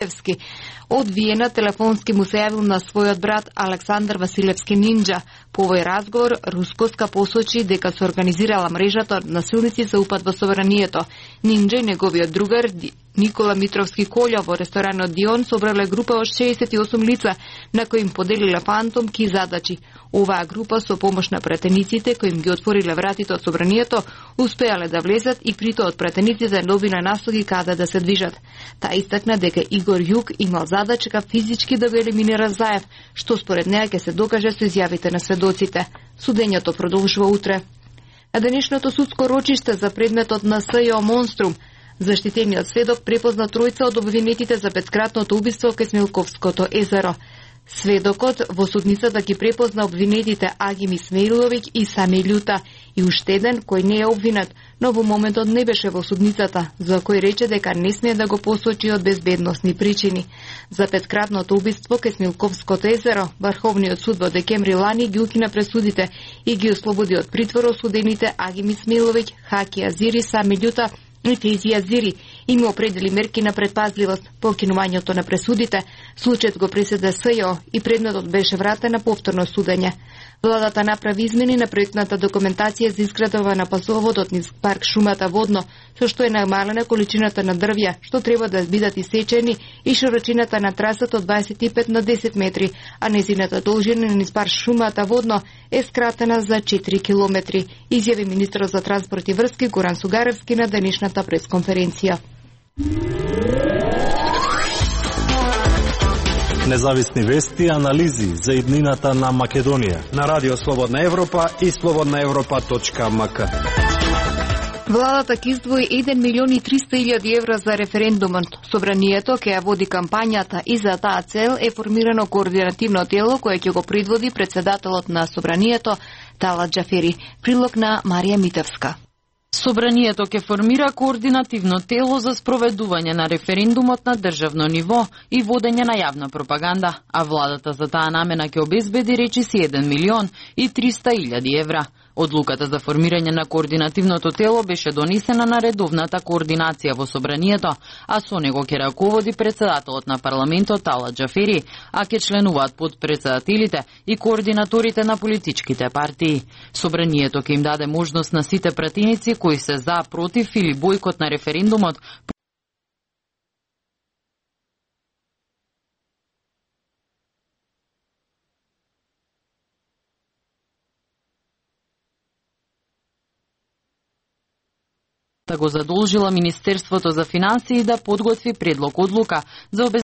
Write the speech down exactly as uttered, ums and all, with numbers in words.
Василевски. Од Виена телефонски му се јавил на својот брат Александар Василевски Нинџа. По овој разговор, Рускоска посочи дека се организирала мрежата од насилници за упад во собранието. Нинџа и неговиот другар Никола Митровски Колја во ресторанот Дион собрале група од шеесет и осум лица, на кои им поделиле фантомки и задачи. Оваа група со помош на пратениците кои им ги отвориле вратите од собранието, успеале да влезат и прито од пратениците добиле наслуги каде да се движат. Таа истакна дека Игор Јук имал задачка физички да го елиминира Заев, што според неа ќе се докаже со изјавите на сведоците. Судењето продолжува утре. На денешното судско рочиште за предметот на СЈО Монструм, заштитениот сведок препозна тројца од обвинетите за петкратното убиство кај Смилковското езеро. Сведокот во судницата ги препозна обвинетите Агим Исмаиловиќ и Сами Љута и уште еден кој не е обвинет, но во моментот не беше во судницата, за кој рече дека не смее да го посочи од безбедносни причини. За петкратното убиство кај Смилковското езеро, Врховниот суд во декември лани ги укина пресудите и ги ослободи од притвор осудените Агим Исмаиловиќ, Хаки Азири, Сами Љута и Фези Азири, им определи мерки на предпазливост. По кинувањето на пресудите, случајот го преседе СЈО и предметот беше вратен на повторно судење. Владата направи измени на проектната документација за изградба на пасоводот низ парк Шумата Водно, со што е намалена количината на дрвја, што треба да бидат исечени, и широчината на трасата од дваесет и пет на десет метри, а незината должина низ парк Шумата Водно е скратена за четири километри, изјави министерот за транспорт и врски Горан Сугаревски на денешната пресконференција. Независни вести и анализи за иднината на Македонија на Радио Слободна Европа и слободна европа точка ем ка. Владата ќе издвои еден милион и триста илјади евра за референдумот. Собранието ќе ја води кампањата и за таа цел е формирано координативно тело кое ќе го предводи председателот на Собранието Талат Џафери. Прилог на Марија Митевска. Собранието ќе формира координативно тело за спроведување на референдумот на државно ниво и водење на јавна пропаганда, а владата за таа намена ќе обезбеди речиси еден милион и триста илјади евра. Одлуката за формирање на координативното тело беше донесена на редовната координација во Собранието, а со него ќе раководи председателот на парламентот Талат Џафери, а ќе членуваат подпредседателите и координаторите на политичките партии. Собранието ќе им даде можност на сите пратеници кои се за, против или бојкот на референдумот го задолжила Министерството за финансии да подготви предлог одлука за